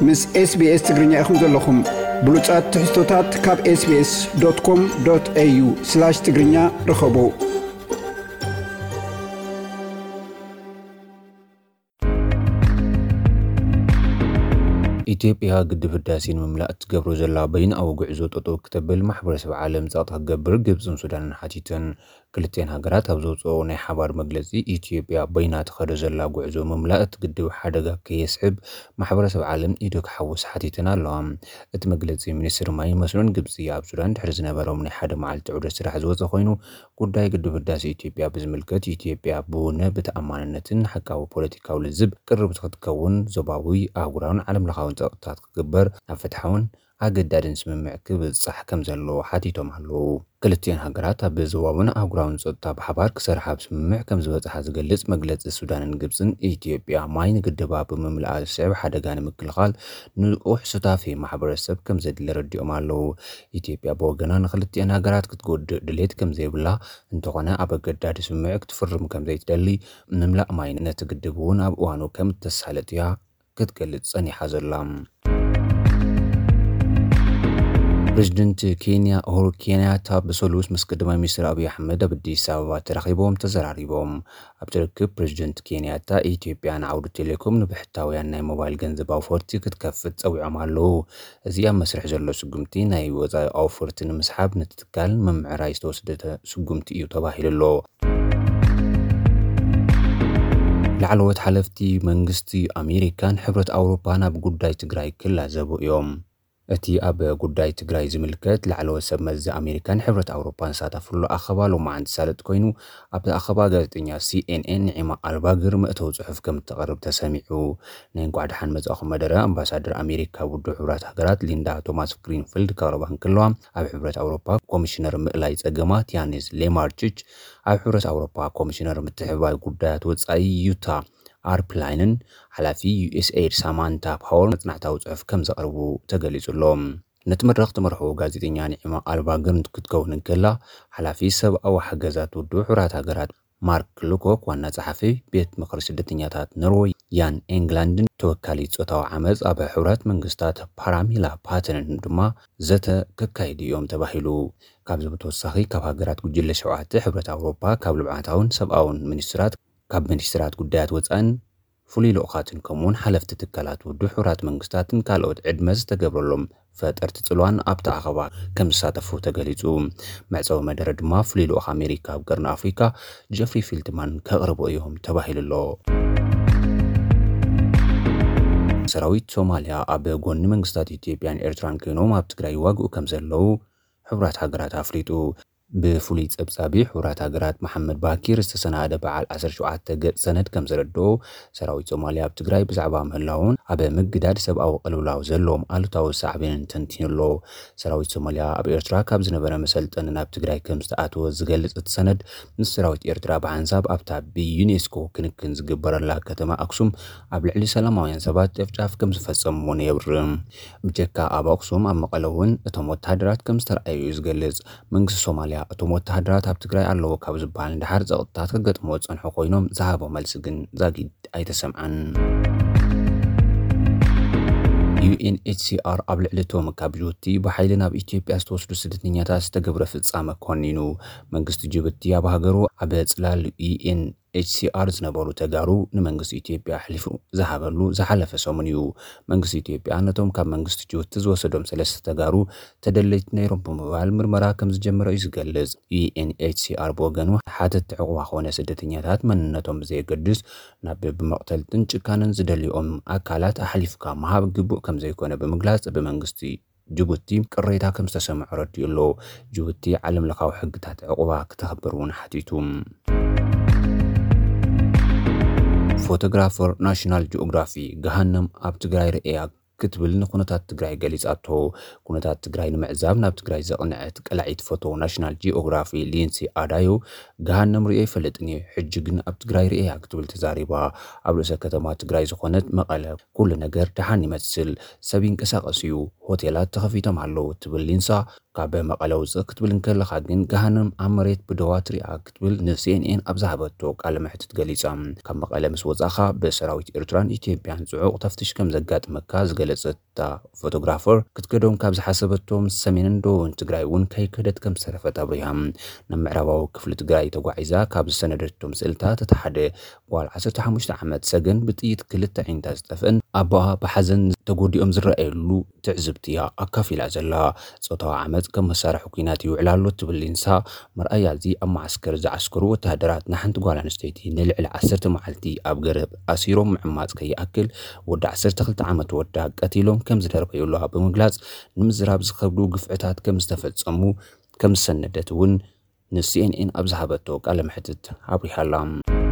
ምስ SBS ትግርኛ ኢኹም ዘለኹም። ብሉጻት ትሕዝቶታት ካብ SBS.com.au/ትግርኛ ርኸቡ። ኢትዮጵያ ግድብ ህዳሴ ንምምላእ እትገብሮ ዘላ በይንኣዊ ጉዕዞ ጠጠው ክተብል ማሕበረሰብ ዓለም ጸቕጢ ክገብር ግብጽን ሱዳንን ሓቲተን። ክልቲኤን ሃገራት ኣብ ዘውፅኦ ናይ ሓባር መግለፂ፣ ኢትዮጵያ በይና ትኸዶ ዘላ ጉዕዞ ምምላእ እቲ ግድብ ሓደጋ ከየስዕብ ማሕበረሰብ ዓለም ኢዱ ክሓውስ ሓቲተን ኣለዋ። እቲ መግለፂ ሚኒስትሪ ማይን መስኖን ግብፂ ኣብ ሱዳን ድሕሪ ዝነበሮም ናይ ሓደ መዓልቲ ዑደት ስራሕ ዝወፀ ኮይኑ፣ ጉዳይ ግድብ ህዳሴ ኢትዮጵያ ብዝምልከት ኢትዮጵያ ብውነ ብተኣማንነትን ሓቃዊ ፖለቲካዊ ልዝብ ቅርብቲ ክትከውን ዞባዊ ኣህጉራውን ዓለም ለኻውን ፀቕጥታት ክግበር ኣብ ፍትሓውን ኣገዳድን ስምምዕ ክብጻሕ ከም ዘለዎ ሓቲቶም ኣለዉ። ክልቲኤን ሃገራት ኣብ ዞባውን ኣህጉራውን ጸጥታ ብሓባር ክሰርሓ ኣብ ስምምዕ ከም ዝበጽሓ ዝገልጽ መግለጺ ሱዳንን ግብጽን፣ ኢትዮጵያ ማይ ንግድባ ብምምላኣ ዝስዕብ ሓደጋ ንምክልኻል ንቑሕ ሱታፌ ማሕበረሰብ ከም ዘድሊ ኣረዲኦም ኣለዉ። ኢትዮጵያ ብወገና ንክልቲኤን ሃገራት ክትጎድእ ድሌት ከም ዘይብላ፣ እንተኾነ ኣብ ኣገዳዲ ስምምዕ ክትፍርም ከም ዘይትደሊ፣ ምምላእ ማይ ነቲ ግድብ እውን ኣብ እዋኑ ከም እተሳለጥ እያ ክትገልጽ ጸኒሓ ዘላ። ፕሬዚደንት ኬንያ ኡሁሩ ኬንያታ ብሰሉስ ምስ ቀዳማይ ሚኒስትር ኣብይ ኣሕመድ ኣብ ኣዲስ ኣበባ ተራኺቦም ተዘራሪቦም። ኣብቲ ርክብ ፕሬዚደንት ኬንያታ፣ ኢትዮጵያ ንዓውዲ ቴሌኮም ንብሕታውያን ናይ ሞባይል ገንዘብ ኣውፈርቲ ክትከፍት ጸዊዖም ኣለዉ። እዚ ኣብ መስርሕ ዘሎ ስጉምቲ ናይ ወጻኢ ኣውፈርቲ ንምስሓብ ነቲ ትካል ንምምዕራይ ዝተወስደ ስጉምቲ እዩ ተባሂሉ ኣሎ። ላዕለዎት ሓለፍቲ መንግስቲ ኣሜሪካን ሕብረት ኣውሮፓን ኣብ ጉዳይ ትግራይ ክላዘቡ እዮም። እቲ ኣብ ጉዳይ ትግራይ ዝምልከት ላዕለዎት ሰብ መዚ ኣሜሪካን ሕብረት ኣውሮፓን ዝሳተፍሉ ኣኸባ ሎማዓንቲ ሳልጥ ኮይኑ፣ ኣብቲ ኣኸባ ጋዜጠኛ ሲኤንኤን ኒዒማ ኣልባግር መእተዊ ጽሑፍ ከም እተቕርብ ተሰሚዑ። ናይ እንኳዕ ደሓን መጻእኹም መደረ ኣምባሳደር ኣሜሪካ ውድብ ሕቡራት ሃገራት ሊንዳ ቶማስ ግሪንፊልድ ከቕርባ እንከለዋ፣ ኣብ ሕብረት ኣውሮፓ ኮሚሽነር ምእላይ ጸገማት ያኒስ ሌማርችች፣ ኣብ ሕብረት ኣውሮፓ ኮሚሽነር ምትሕብባይ ጉዳያት ወጻኢ ዩታ ኣርፕላይንን ሓላፊ ዩኤስኤይድ ሳማንታ ፓወር መጽናዕታዊ ጽሑፍ ከም ዘቕርቡ ተገሊጹ ኣሎ። ነቲ መድረኽ ትመርሖ ጋዜጠኛ ኒዕማ ኣልባግር ክትከውን እንከላ፣ ሓላፊ ሰብኣዊ ሓገዛት ውድብ ሕቡራት ሃገራት ማርክ ሉኮክ፣ ዋና ጸሓፊ ቤት ምኽሪ ስደተኛታት ኖርወይ ያን ኤንግላንድን ተወካሊ ጾታዊ ዓመጽ ኣብ ሕቡራት መንግስታት ፓራሚላ ፓተንን ድማ ዘተ ከካይዱ እዮም ተባሂሉ። ካብዚ ብተወሳኺ፣ ካብ ሃገራት ጉጅለ ሸውዓተ ሕብረት ኣውሮፓ፣ ካብ ልምዓታውን ሰብኣውን ሚኒስትራት፣ ካብ ሚኒስትራት ጉዳያት ወጻእን ፍሉይ ልኡኻትን፣ ከምኡውን ሓለፍቲ ትካላት ውድብ ሕቡራት መንግስታትን ካልኦት ዕድመ ዝተገብረሎም ፈጠርቲ ጽልዋን ኣብቲ ኣኸባ ከም ዝሳተፉ ተገሊጹ። መዕጸዊ መደረ ድማ ፍሉይ ልኡኽ ኣሜሪካ ኣብ ቀርኒ ኣፍሪካ ጀፍሪ ፊልትማን ከቕርቡ እዮም ተባሂሉ ኣሎ። ሰራዊት ሶማልያ ኣብ ጎኒ መንግስታት ኢትዮጵያን ኤርትራን ኮይኖም ኣብ ትግራይ ይዋግኡ ከም ዘለዉ ሕቡራት ሃገራት ኣፍሊጡ። ብፍሉይ ጸብጻቢ ሕቡራት ሃገራት መሓመድ ባኪር ዝተሰናደ በዓል ዓሰርተ ሸውዓተ ገጽ ሰነድ ከም ዘረድኦ፣ ሰራዊት ሶማልያ ኣብ ትግራይ ብዛዕባ ምህላውን ኣብ ምግዳድ ሰብኣዊ ቅልውላው ዘለዎም ኣሉታዊ ሳዕቤንን ተንቲኑ ኣሎ። ሰራዊት ሶማልያ ኣብ ኤርትራ ካብ ዝነበረ መሰልጠኒ ናብ ትግራይ ከም ዝተኣተወ ዝገልጽ እቲ ሰነድ፣ ምስ ሰራዊት ኤርትራ ብሓንሳብ ኣብታ ብዩኔስኮ ክንክን ዝግበረላ ከተማ ኣክሱም ኣብ ልዕሊ ሰላማውያን ሰባት ጨፍጫፍ ከም ዝፈጸሙ እውን የብርህ። ብጀካ ኣብ ኣክሱም፣ ኣብ መቐለ እውን እቶም ወተሃደራት ከም ዝተረኣዩ እዩ ዝገልጽ። መንግስቲ ሶማልያ፣ እቶም ወተሃደራት ኣብ ትግራይ ኣለዉ ካብ ዝበሃል ንደሓር ጸቕጥታት ከገጥምዎ ዝጸንሑ ኮይኖም፣ ዝሃቦ መልሲ ግን ዛጊድ ኣይተሰምዐን። ዩኤንኤችሲኣር ኣብ ልዕሊ እቶም ካብ ጅቡቲ ብሓይሊ ናብ ኢትዮጵያ ዝተወስዱ ስደተኛታት ዝተገብረ ፍጻመ ኮኒኑ። መንግስቲ ጅቡቲ ኣብ ሃገሩ ኣብ ጽላል ዩኤንኤችሲኣር ዝነበሩ ተጋሩ ንመንግስቲ ኢትዮጵያ ኣሕሊፉ ዝሃበሉ ዝሓለፈ ሰሙን እዩ። መንግስቲ ኢትዮጵያ ነቶም ካብ መንግስቲ ጅቡቲ ዝወሰዶም ሰለስተ ተጋሩ ተደለይቲ ነይሮም ብምባል ምርመራ ከም ዝጀመረ እዩ ዝገልጽ። ዩኤንኤችሲኣር ብወገኑ፣ ሓተትቲ ዕቑባ ኮነ ስደተኛታት መንነቶም ብዘየገድስ ናብ ብመቕተልትን ጭካነን ዝደልይኦም ኣካላት ኣሕሊፍካ ምሃብ ግቡእ ከም ዘይኮነ ብምግላጽ፣ ብመንግስቲ ጅቡቲ ቅሬታ ከም ዝተሰምዖ ረዲኡ ኣሎ። ጅቡቲ ዓለም ለኻዊ ሕግታት ዕቑባ ክተኽብር እውን ሓቲቱ። ፎቶግራፈር ናሽናል ጂኦግራፊ፣ ገሃነም ኣብ ትግራይ ርእያ ክትብል ንኩነታት ትግራይ ገሊጻቶ። ኩነታት ትግራይ ንምዕዛብ ናብ ትግራይ ዘቕንዐት ቀላዒት ፎቶ ናሽናል ጂኦግራፊ ሊንሲ ኣዳዮ፣ ገሃነም ርእየ ኣይፈልጥን እየ፣ ሕጂ ግን ኣብ ትግራይ ርእየ እያ ክትብል ተዛሪባ። ኣብ ርእሰ ከተማ ትግራይ ዝኾነት መቐለ ኩሉ ነገር ደሓን ይመስል፣ ሰብ ይንቀሳቐስ እዩ፣ ሆቴላት ተኸፊቶም ኣለዉ ትብል ሊንሳ፣ ካብ መቐለ ውፅእ ክትብል እንከለኻ ግን ገሃነም ኣብ መሬት ብደዋ ትሪኣ ክትብል ን C N N ኣብ ዝሃበቶ ቃለ መሕትት ገሊጻ። ካብ መቐለ ምስ ወጻኻ ብሰራዊት ኤርትራን ኢትዮጵያን ጽዑቕ ተፍትሽ ከም ዘጋጥመካ ዝገለጸት እታ ፎቶግራፈር ክትከዶም ካብ ዝሓሰበቶም ሰሜንን ደቡብን ትግራይ እውን ከይከደት ከም ዝተረፈት ኣብሪሃ። ናብ ምዕራባዊ ክፍሊ ትግራይ ተጓዒዛ ካብ ዝሰነደቶም ስእልታት እቲ ሓደ ጓል ዓሰርተ ሓሙሽተ ዓመት ሰገን ብጥይት ክልተ ዓይንታ ዝጠፍእን ኣቦኣ ብሓዘን ተጎዲኦም ዝረኣየሉ ትዕዝብቲ እያ ኣካፊላ ዘላ። ጾታዊ ዓመጽ ከም መሳርሒ ኲናት ይውዕል ኣሎ ትብል ሊንሳ፣ መርኣያ እዚ ኣብ መዓስከር ዝዓስከሩ ወተሃደራት ንሓንቲ ጓል ኣንስተይቲ ንልዕሊ ዓሰርተ መዓልቲ ኣብ ገረብ ኣሲሮም ምዕማጽ ከይኣክል ወዲ ዓሰርተ ክልተ ዓመት ወዳ ቀቲሎም ከም ዝደርበዩላ ብምግላጽ ንምዝራብ ዝኸብዱ ግፍዕታት ከም ዝተፈጸሙ ከም ዝሰነደት እውን ን C N N ኣብ ዝሃበቶ ቃለ መሕትት ኣብሪሃ ኣላ።